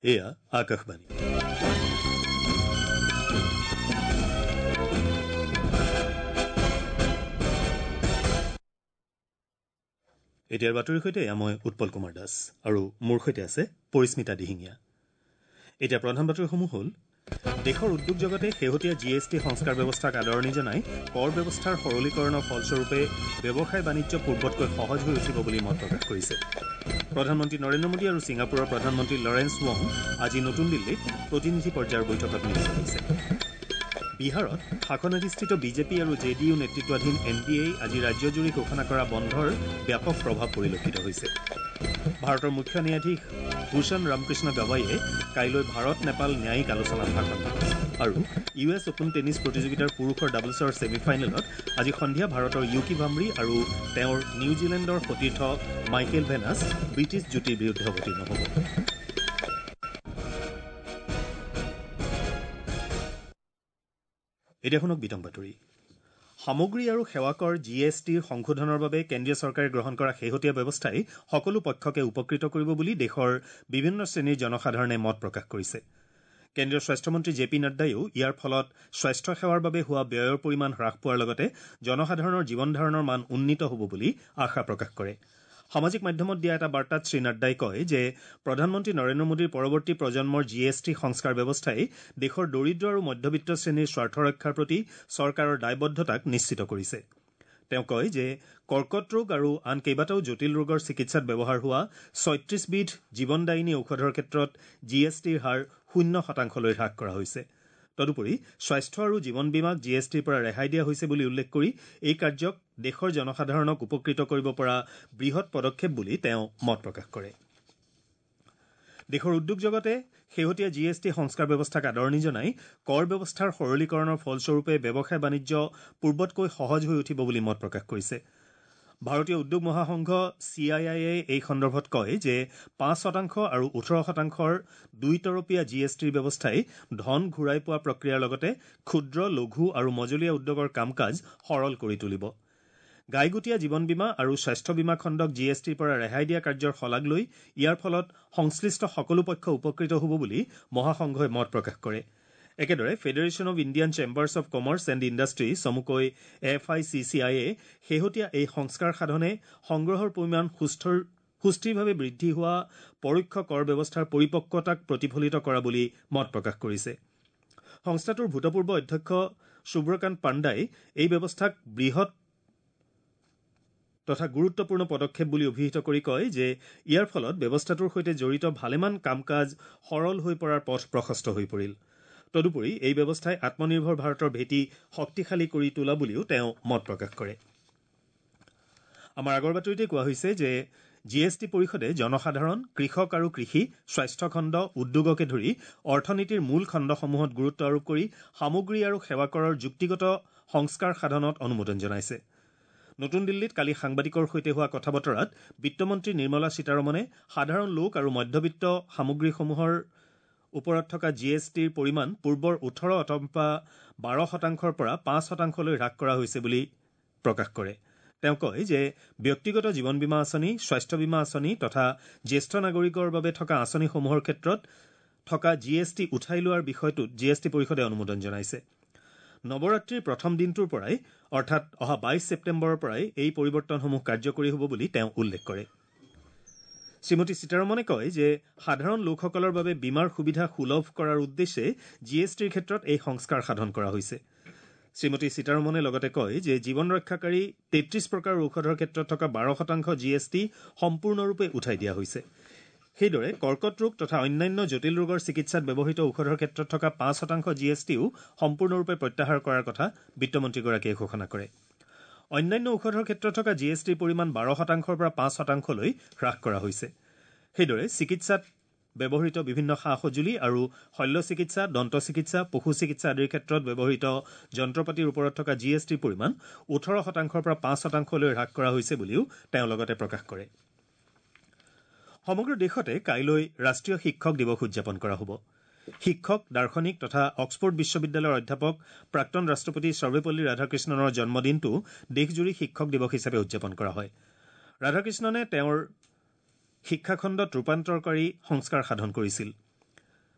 এয়া আকাশবাণী। এতিয়াৰ বাতৰিৰ সৈতে এয়া মই উৎপল কুমাৰ দাস আৰু মোৰ সৈতে আছে পৰিস্মিতা দিহিঙীয়া। এতিয়া প্ৰধান বাতৰিসমূহ হ'ল: দেশৰ উদ্যোগ জগতে শেহতীয়া জি এছ টি সংস্কাৰ ব্যৱস্থাক আদৰণি জনাই কৰ ব্যৱস্থাৰ সৰলীকৰণৰ ফলস্বৰূপে ব্যৱসায় বাণিজ্য পূৰ্বতকৈ সহজ হৈ উঠিব বুলি মত প্ৰকাশ কৰিছে। প্ৰধানমন্ত্ৰী নৰেন্দ্ৰ মোদী আৰু ছিংগাপুৰৰ প্ৰধানমন্ত্ৰী লৰেন্স ৱং আজি নতুন দিল্লীত প্ৰতিনিধি পৰ্যায়ৰ বৈঠকত মিলিত হৈছে। বিহাৰত শাসনাধিষ্ঠিত বিজেপি আৰু জে ডি ইউ নেতৃত্বাধীন এন ডি এই আজি ৰাজ্যজুৰি ঘোষণা কৰা বন্ধৰ ব্যাপক প্ৰভাৱ পৰিলক্ষিত হৈছে। ভাৰতৰ মুখ্য ন্যায়াধীশ ভূষণ ৰামকৃষ্ণ গাৱাইয়ে কাইলৈ ভাৰত নেপাল ন্যায়িক আলোচনাত ভাষণ দিব। আৰু ইউ এছ অ'পেন টেনিছ প্ৰতিযোগিতাৰ পুৰুষৰ ডাবলছৰ ছেমি ফাইনেলত আজি সন্ধিয়া ভাৰতৰ য়ুকি ভাম্ৰী আৰু তেওঁৰ নিউজিলেণ্ডৰ সতীৰ্থ মাইকেল ভেনাছ ব্ৰিটিছ যুটীৰ বিৰুদ্ধে অৱতীৰ্ণ হ'ব। এতিয়া শুনক বিতং বাতৰি। সামগ্ৰী আৰু সেৱা কৰ জি এছ টিৰ সংশোধনৰ বাবে কেন্দ্ৰীয় চৰকাৰে গ্ৰহণ কৰা শেহতীয়া ব্যৱস্থাই সকলো পক্ষকে উপকৃত কৰিব বুলি দেশৰ বিভিন্ন শ্ৰেণীৰ জনসাধাৰণে মত প্ৰকাশ কৰিছে। কেন্দ্ৰীয় স্বাস্থ্যমন্ত্ৰী জে পি নাড্ডায়ো ইয়াৰ ফলত স্বাস্থ্য সেৱাৰ বাবে হোৱা ব্যয়ৰ পৰিমাণ হ্ৰাস পোৱাৰ লগতে জনসাধাৰণৰ জীৱন ধাৰণৰ মান উন্নীত হ'ব বুলি আশা প্ৰকাশ কৰে। সামাজিক মাধ্যমত দিয়া এটা বাৰ্তাত শ্ৰী নাড্ডাই কয় যে প্ৰধানমন্ত্ৰী নৰেন্দ্ৰ মোদীৰ পৰৱৰ্তী প্ৰজন্মৰ জি এছ টি সংস্কাৰ ব্যৱস্থাই দেশৰ দৰিদ্ৰ আৰু মধ্যবিত্ত শ্ৰেণীৰ স্বাৰ্থ ৰক্ষাৰ প্ৰতি চৰকাৰৰ দায়বদ্ধতাক নিশ্চিত কৰিছে। তেওঁ কয় যে কৰ্কট ৰোগ আৰু আন কেইবাটাও জটিল ৰোগৰ চিকিৎসাত ব্যৱহাৰ হোৱা 36বিধ জীৱনদায়িনী ঔষধৰ ক্ষেত্ৰত জি এছ টিৰ হাৰ 0 শতাংশলৈ হ্ৰাস কৰা হৈছে। তদুপৰি স্বাস্থ্য আৰু জীৱন বীমাক জি এছ টিৰ পৰা ৰেহাই দিয়া হৈছে বুলি উল্লেখ কৰি এই কাৰ্যক দেশৰ জনসাধাৰণক উপকৃত কৰিব পৰা বৃহৎ পদক্ষেপ বুলি তেওঁ মত প্ৰকাশ কৰে। দেশৰ উদ্যোগ জগতে শেহতীয়া জি এছ টি সংস্কাৰ ব্যৱস্থাক আদৰণি জনাই কৰ ব্যৱস্থাৰ সৰলীকৰণৰ ফলস্বৰূপে ব্যৱসায় বাণিজ্য পূৰ্বতকৈ সহজ হৈ উঠিব বুলি মত প্ৰকাশ কৰিছে। ভাৰতীয় উদ্যোগ মহাসংঘ চি I আইয়ে এই সন্দৰ্ভত কয় যে 5 শতাংশ আৰু 18 শতাংশৰ দুইতৰপীয়া জি এছ টিৰ ব্যৱস্থাই ধন ঘূৰাই পোৱা প্ৰক্ৰিয়াৰ লগতে ক্ষুদ্ৰ, লঘু আৰু মজলীয়া উদ্যোগৰ কাম কাজ সৰল কৰি তুলিব। গাইগুটীয়া জীৱন বীমা আৰু স্বাস্থ্য বীমা খণ্ডক জি এছ টিৰ পৰা ৰেহাই দিয়া কাৰ্যৰ শলাগ লৈ ইয়াৰ ফলত সংশ্লিষ্ট সকলো পক্ষ উপকৃত হ'ব বুলি মহাসংঘই মত প্ৰকাশ কৰে। একেদৰে Federation of Indian Chambers of Commerce and Industry চমুকৈ এফ I C C আইয়ে শেহতীয়া এই সংস্কাৰ সাধনে সংগ্ৰহৰ পৰিমাণ সুস্থিৰভাৱে বৃদ্ধি হোৱা পৰোক্ষ কৰ ব্যৱস্থাৰ পৰিপক্কতাক প্ৰতিফলিত কৰা বুলি মত প্ৰকাশ কৰিছে। সংস্থাটোৰ ভূতপূৰ্ব অধ্যক্ষ সুব্ৰকান্ত পাণ্ডাই এই ব্যৱস্থাক বৃহৎ তথা গুৰুত্বপূৰ্ণ পদক্ষেপ বুলি অভিহিত কৰি কয় যে ইয়াৰ ফলত ব্যৱস্থাটোৰ সৈতে জড়িত ভালেমান কাম কাজ সৰল হৈ পৰাৰ পথ প্ৰশস্ত হৈ পৰিল। তদুপৰি এই ব্যৱস্থাই আত্মনিৰ্ভৰ ভাৰতৰ ভেটি শক্তিশালী কৰি তোলা বুলিও তেওঁ মত প্ৰকাশ কৰে। আমাৰ আগৰ বাতৰিতে কোৱা হৈছে যে জি এছ টি পৰিষদে জনসাধাৰণ, কৃষক আৰু কৃষি, স্বাস্থ্যখণ্ড, উদ্যোগকে ধৰি অৰ্থনীতিৰ মূল খণ্ডসমূহত গুৰুত্ব আৰোপ কৰি সামগ্ৰী আৰু সেৱা কৰৰ যুক্তিগত সংস্কাৰ সাধনত অনুমোদন জনাইছে। নতুন দিল্লীত কালি সাংবাদিকৰ সৈতে হোৱা কথা বতৰাত বিত্তমন্ত্ৰী নিৰ্মলা সীতাৰমণে সাধাৰণ লোক আৰু মধ্যবিত্ত সামগ্ৰীসমূহৰ ওপৰত থকা জি এছ টিৰ পৰিমাণ পূৰ্বৰ 18 অথবা 12 শতাংশৰ পৰা 5 শতাংশলৈ হ্ৰাস কৰা হৈছে বুলি প্ৰকাশ কৰে। তেওঁ কয় যে ব্যক্তিগত জীৱন বীমা আঁচনি, স্বাস্থ্য বীমা আঁচনি তথা জ্যেষ্ঠ নাগৰিকৰ বাবে থকা আঁচনিসমূহৰ ক্ষেত্ৰত থকা জি এছ টি উঠাই লোৱাৰ বিষয়টোত জি এছ টি পৰিষদে অনুমোদন জনাইছে। নৱৰাত্ৰিৰ প্ৰথম দিনটোৰ পৰাই, অৰ্থাৎ অহা 22 ছেপ্টেম্বৰৰ পৰাই এই পৰিৱৰ্তনসমূহ কাৰ্যকৰী হ'ব বুলি তেওঁ উল্লেখ কৰে। শ্ৰীমতী সীতাৰমণে কয় যে সাধাৰণ লোকসকলৰ বাবে বীমাৰ সুবিধা সুলভ কৰাৰ উদ্দেশ্যে জি এছ টিৰ ক্ষেত্ৰত এই সংস্কাৰ সাধন কৰা হৈছে। শ্ৰীমতী সীতাৰমণে লগতে কয় যে জীৱন ৰক্ষাকাৰী 33 প্ৰকাৰৰ ঔষধৰ ক্ষেত্ৰত থকা 12 শতাংশ জি এছ টি সম্পূৰ্ণৰূপে উঠাই দিয়া হৈছে। সেইদৰে কৰ্কট ৰোগ তথা অন্যান্য জটিল ৰোগৰ চিকিৎসাত ব্যৱহৃত ঔষধৰ ক্ষেত্ৰত থকা 5 শতাংশ জি এছ টিও সম্পূৰ্ণৰূপে প্ৰত্যাহাৰ কৰাৰ কথা বিত্তমন্ত্ৰীগৰাকীয়ে ঘোষণা কৰে। অন্যান্য ঔষধৰ ক্ষেত্ৰত থকা জি এছ টিৰ পৰিমাণ 12 শতাংশৰ পৰা 5 শতাংশলৈ হ্ৰাস কৰা হৈছে। সেইদৰে চিকিৎসাত ব্যৱহৃত বিভিন্ন সা সঁজুলি আৰু শল্য চিকিৎসা, দন্ত চিকিৎসা, পশু চিকিৎসা আদিৰ ক্ষেত্ৰত ব্যৱহৃত যন্ত্ৰপাতিৰ ওপৰত থকা জি এছ টিৰ পৰিমাণ 18 শতাংশৰ পৰা 5 শতাংশলৈ হ্ৰাস কৰা হৈছে বুলিও তেওঁ লগতে প্ৰকাশ কৰে। সমগ্ৰ দেশতে কাইলৈ ৰাষ্ট্ৰীয় শিক্ষক দিৱস উদযাপন কৰা হ'ব। শিক্ষক, দাৰ্শনিক তথা অক্সফৰ্ড বিশ্ববিদ্যালয়ৰ অধ্যাপক প্ৰাক্তন ৰাষ্ট্ৰপতি সৰ্বেপল্লী ৰাধাকৃষ্ণনৰ জন্মদিনটো দেশজুৰি শিক্ষক দিৱস হিচাপে উদযাপন কৰা হয়। ৰাধাকৃষ্ণনে তেওঁৰ শিক্ষাখণ্ডত ৰূপান্তৰকাৰী সংস্কাৰ সাধন কৰিছিল।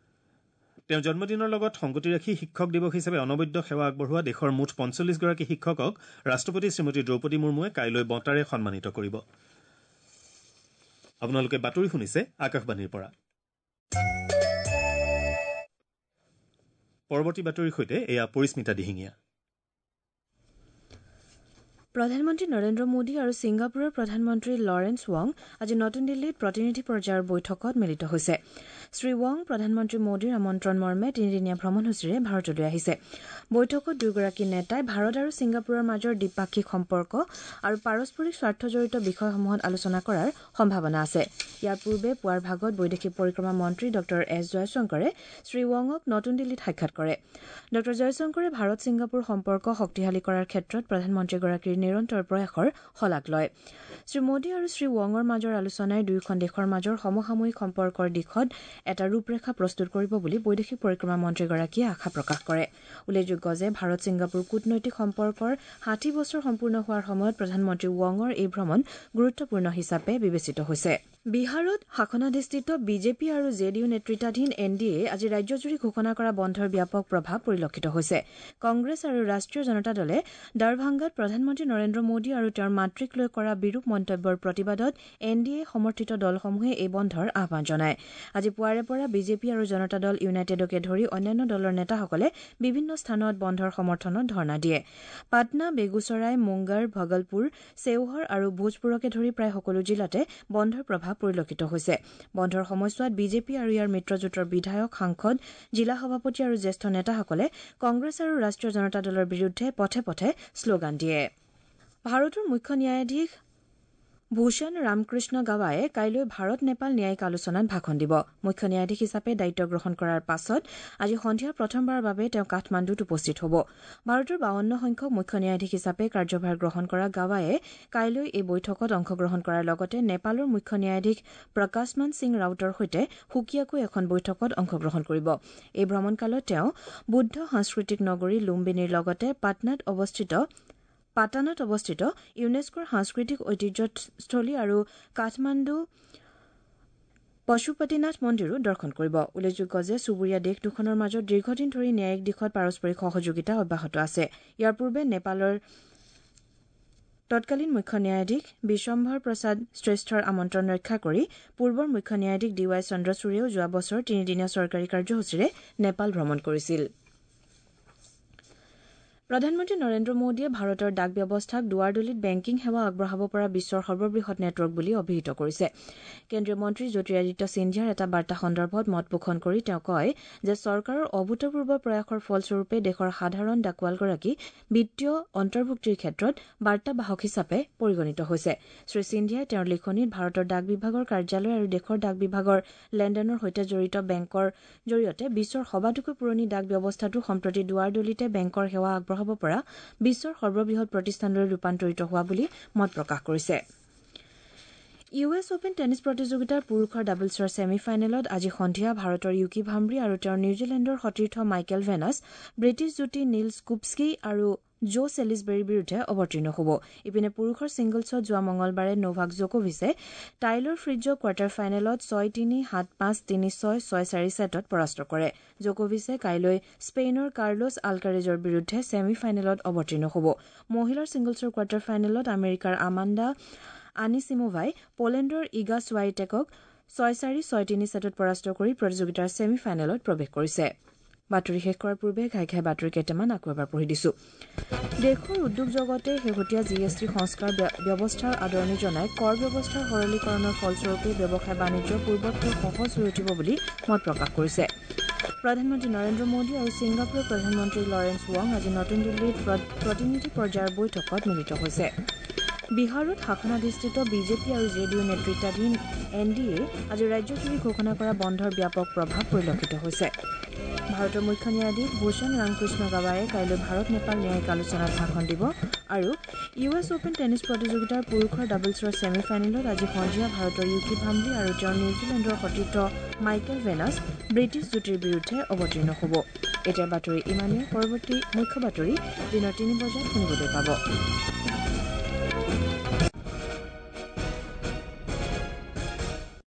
তেওঁৰ জন্মদিনৰ লগত সংগতি ৰাখি শিক্ষক দিৱস হিচাপে অনবদ্য সেৱা আগবঢ়োৱা দেশৰ মুঠ 45গৰাকী শিক্ষকক ৰাষ্ট্ৰপতি শ্ৰীমতী দ্ৰৌপদী মুৰ্মুৱে কাইলৈ বঁটাৰে সন্মানিত কৰিব। আপোনালোকে বাতৰি শুনিছে আকাশবাণীৰ পৰা। পৰৱৰ্তী বাতৰিৰ সৈতে এয়া পৰিস্মিতা দিহিঙীয়া। প্ৰধানমন্ত্ৰী নৰেন্দ্ৰ মোদী আৰু ছিংগাপুৰৰ প্ৰধানমন্ত্ৰী লৰেন্স ৱাং আজি নতুন দিল্লীত প্ৰতিনিধি পৰ্যায়ৰ বৈঠকত মিলিত হৈছে। শ্ৰী ৱাং প্ৰধানমন্ত্ৰী মোদীৰ আমন্ত্ৰণ মৰ্মে তিনিদিনীয়া ভ্ৰমণসূচীৰে ভাৰতলৈ আহিছে। বৈঠকত দুয়োগৰাকী নেতাই ভাৰত আৰু ছিংগাপুৰৰ মাজৰ দ্বিপাক্ষিক সম্পৰ্ক আৰু পাৰস্পৰিক স্বাৰ্থজড়িত বিষয়সমূহত আলোচনা কৰাৰ সম্ভাৱনা আছে। ইয়াৰ পূৰ্বে পুৱাৰ ভাগত বৈদেশিক পৰিক্ৰমা মন্ত্ৰী ডঃ এছ জয়শংকৰে শ্ৰী ৱাঙক নতুন দিল্লীত সাক্ষাৎ কৰে। ডঃ জয়শংকৰে ভাৰত ছিংগাপুৰ সম্পৰ্ক শক্তিশালী কৰাৰ ক্ষেত্ৰত প্ৰধানমন্ত্ৰীগৰাকীৰ নিৰন্তৰ প্ৰয়াসৰ শলাগ লয়। শ্ৰী মোদী আৰু শ্ৰী ৱাঙৰ মাজৰ আলোচনাই দুয়োখন দেশৰ মাজৰ সমসাময়িক সম্পৰ্কৰ দিশত এটা ৰূপৰেখা প্ৰস্তুত কৰিব বুলি বৈদেশিক পৰিক্ৰমা মন্ত্ৰীগৰাকীয়ে আশা প্ৰকাশ কৰে। উল্লেখযোগ্য যে ভাৰত ছিংগাপুৰ কূটনৈতিক সম্পৰ্কৰ 60 বছৰ সম্পূৰ্ণ হোৱাৰ সময়ত প্ৰধানমন্ত্ৰী ৱাঙৰ এই ভ্ৰমণ গুৰুত্বপূৰ্ণ হিচাপে বিবেচিত হৈছে। বিহাৰত শাসনাধিষ্ঠিত বিজেপি আৰু জে ডি ইউ নেতৃত্বাধীন এন ডি এ আজি ৰাজ্যজুৰি ঘোষণা কৰা বন্ধৰ ব্যাপক প্ৰভাৱ পৰিলক্ষিত হৈছে। কংগ্ৰেছ আৰু ৰাষ্ট্ৰীয় জনতা দলে দাৰভাংগাত প্ৰধানমন্ত্ৰী নৰেন্দ্ৰ মোদী আৰু তেওঁৰ মাতৃক লৈ কৰা বিৰূপ মন্তব্যৰ প্ৰতিবাদত এন ডি এ সমৰ্থিত দলসমূহে এই বন্ধৰ আহ্বান জনায়। আজি পুৱাৰে পৰা বিজেপি আৰু জনতা দল ইউনাইটেডকে ধৰি অন্যান্য দলৰ নেতাসকলে বিভিন্ন স্থানত বন্ধৰ সমৰ্থনত ধৰ্ণা দিয়ে। পাটনা, বেগুচৰাই, মুংগাৰ, ভগলপুৰ, চেওহৰ আৰু ভোজপুৰকে ধৰি প্ৰায় সকলো জিলাতে বন্ধৰ প্ৰভাৱ পৰিলক্ষিত হৈছে। বন্ধৰ সময়ছোৱাত বিজেপি আৰু ইয়াৰ মিত্ৰজোঁটৰ বিধায়ক, সাংসদ, জিলা সভাপতি আৰু জ্যেষ্ঠ নেতাসকলে কংগ্ৰেছ আৰু ৰাষ্ট্ৰীয় জনতা দলৰ বিৰুদ্ধে পথে পথে শ্লোগান দিয়ে। ভাৰতৰ মুখ্য ন্যায়াধীশ ভূষণ ৰামকৃষ্ণ গাৱায়ে কাইলৈ ভাৰত নেপাল ন্যায়িক আলোচনাত ভাষণ দিব। মুখ্য ন্যায়াধীশ হিচাপে দায়িত্ব গ্ৰহণ কৰাৰ পাছত আজি সন্ধিয়া প্ৰথমবাৰৰ বাবে তেওঁ কাঠমাণ্ডুত উপস্থিত হ'ব। ভাৰতৰ 52 সংখ্যক মুখ্য ন্যায়াধীশ হিচাপে কাৰ্যভাৰ গ্ৰহণ কৰা গাৱায়ে কাইলৈ এই বৈঠকত অংশগ্ৰহণ কৰাৰ লগতে নেপালৰ মুখ্য ন্যায়াধীশ প্ৰকাশমান সিং ৰাউটৰ সৈতে সুকীয়াকৈ এখন বৈঠকত অংশগ্ৰহণ কৰিব। এই ভ্ৰমণকালত তেওঁ বুদ্ধ সাংস্কৃতিক নগৰী লুম্বিনীৰ লগতে পাটানত অৱস্থিত ইউনেস্কোৰ সাংস্কৃতিক ঐতিহ্যস্থলী আৰু কাঠমাণ্ডু পশুপতিনাথ মন্দিৰো দৰ্শন কৰিব। উল্লেখযোগ্য যে চুবুৰীয়া দেশ দুখনৰ মাজত দীৰ্ঘদিন ধৰি ন্যায়িক দিশত পাৰস্পৰিক সহযোগিতা অব্যাহত আছে। ইয়াৰ পূৰ্বে নেপালৰ তৎকালীন মুখ্য ন্যায়াধীশ বিশ্বম্ভৰ প্ৰসাদ শ্ৰেষ্ঠৰ আমন্ত্ৰণ ৰক্ষা কৰি পূৰ্বৰ মুখ্য ন্যায়াধীশ ডি ৱাই চন্দ্ৰচূড়েও যোৱা বছৰ তিনিদিনীয়া চৰকাৰী কাৰ্যসূচীৰে নেপাল ভ্ৰমণ কৰিছিল। প্ৰধানমন্ত্ৰী নৰেন্দ্ৰ মোদীয়ে ভাৰতৰ ডাক ব্যৱস্থাক দুৱাৰদলিত বেংকিং সেৱা আগবঢ়াব পৰা বিশ্বৰ সৰ্ববৃহৎ নেটৱৰ্ক বুলি অভিহিত কৰিছে। কেন্দ্ৰীয় মন্ত্ৰী জ্যোতিৰাদিত্য সিন্ধিয়াৰ এটা বাৰ্তা সন্দৰ্ভত মত পোষণ কৰি তেওঁ কয় যে চৰকাৰৰ অভূতপূৰ্ব প্ৰয়াসৰ ফলস্বৰূপে দেশৰ সাধাৰণ ডাকোৱালগৰাকী বিত্তীয় অন্তৰ্ভুক্তিৰ ক্ষেত্ৰত বাৰ্তাবাহক হিচাপে পৰিগণিত হৈছে। শ্ৰী সিন্ধিয়াই তেওঁৰ লিখনিত ভাৰতৰ ডাক বিভাগৰ কাৰ্যালয় আৰু দেশৰ ডাক বিভাগৰ লেনদেনৰ সৈতে জড়িত বেংকৰ জৰিয়তে বিশ্বৰ সবাতোকৈ পুৰণি ডাক ব্যৱস্থাটো সম্প্ৰতি দুৱাৰদলিতে বেংকৰ সেৱা আগবঢ়াব পৰা বিশ্বৰ সৰ্ববৃহৎ প্ৰতিষ্ঠানলৈ ৰূপান্তৰিত হোৱা বুলি মত প্ৰকাশ কৰিছে। ইউ এছ অপেন টেনিছ প্ৰতিযোগিতাৰ পুৰুষৰ ডাবলছৰ ছেমি ফাইনেলত আজি সন্ধিয়া ভাৰতৰ য়ুকি ভাম্ব্ৰি আৰু তেওঁৰ নিউজিলেণ্ডৰ সতীৰ্থ মাইকেল ভেনাছ ব্ৰিটিছ যুটি নীলছ কুপস্কি আৰু জো চেলিছবেৰীৰ বিৰুদ্ধে অৱতীৰ্ণ হ'ব। ইপিনে পুৰুষৰ ছিংগলছত যোৱা মঙলবাৰে নোভাক জকোভিচে টাইলৰ ফ্ৰিটজক কোৱাৰ্টাৰ ফাইনেলত 6-3, 7-5, 3-6, 6-4 ছেটত পৰাস্ত কৰে। জকোভিচে কাইলৈ স্পেইনৰ কাৰ্লোছ আলকাৰেজৰ বিৰুদ্ধে ছেমি ফাইনেলত অৱতীৰ্ণ হ'ব। মহিলাৰ ছিংগলছৰ কোৱাৰ্টাৰ ফাইনেলত আমেৰিকাৰ আমাণ্ডা আনিছিমোভাই পোলেণ্ডৰ ইগা চুৱাইটেকক 6-4, 6-3 ছেটত পৰাস্ত কৰি প্ৰতিযোগিতাৰ ছেমি ফাইনেলত প্ৰৱেশ কৰিছে। বাতৰি শেষ কৰাৰ পূৰ্বে ঘাই ঘাই বাতৰি কেইটামান আকৌ এবাৰ পঢ়ি দিছো। দেশৰ উদ্যোগ জগতে শেহতীয়া জি এছ টি সংস্কাৰ ব্যৱস্থাৰ আদৰণি জনাই কৰ ব্যৱস্থাৰ সৰলীকৰণৰ ফলস্বৰূপে ব্যৱসায় বাণিজ্য পূৰ্বতকৈ সহজ হৈ উঠিব বুলি মত প্ৰকাশ কৰিছে। প্ৰধানমন্ত্ৰী নৰেন্দ্ৰ মোদী আৰু ছিংগাপুৰৰ প্ৰধানমন্ত্ৰী লৰেন্স ৱাং আজি নতুন দিল্লীত প্ৰতিনিধি পৰ্যায়ৰ বৈঠকত মিলিত হৈছে। বিহাৰত শাসনাধিষ্ঠিত বিজেপি আৰু জে ডি ইউ নেতৃত্বাধীন এন ডি এ আজি ৰাজ্যজুৰি ঘোষণা কৰা বন্ধৰ ব্যাপক প্ৰভাৱ পৰিলক্ষিত হৈছে। ভাৰতৰ মুখ্য ন্যায়াধীশ ভূষণ ৰামকৃষ্ণ গাৱায়ে কাইলৈ ভাৰত নেপাল ন্যায়িক আলোচনাত ভাষণ দিব আৰু ইউ এছ অপেন টেনিছ প্ৰতিযোগিতাৰ পুৰুষৰ ডাবলছৰ ছেমি ফাইনেলত আজি সন্ধিয়া ভাৰতৰ য়ুকি ভাম্ব্ৰি আৰু তেওঁৰ নিউজিলেণ্ডৰ সতীৰ্থ মাইকেল ভেনাছ ব্ৰিটিছ যুটিৰ বিৰুদ্ধে অৱতীৰ্ণ হ'ব। এতিয়া বাতৰি ইমানেই। পৰৱৰ্তী মুখ্য বাতৰি দিনৰ 3 বজাত শুনিবলৈ পাব।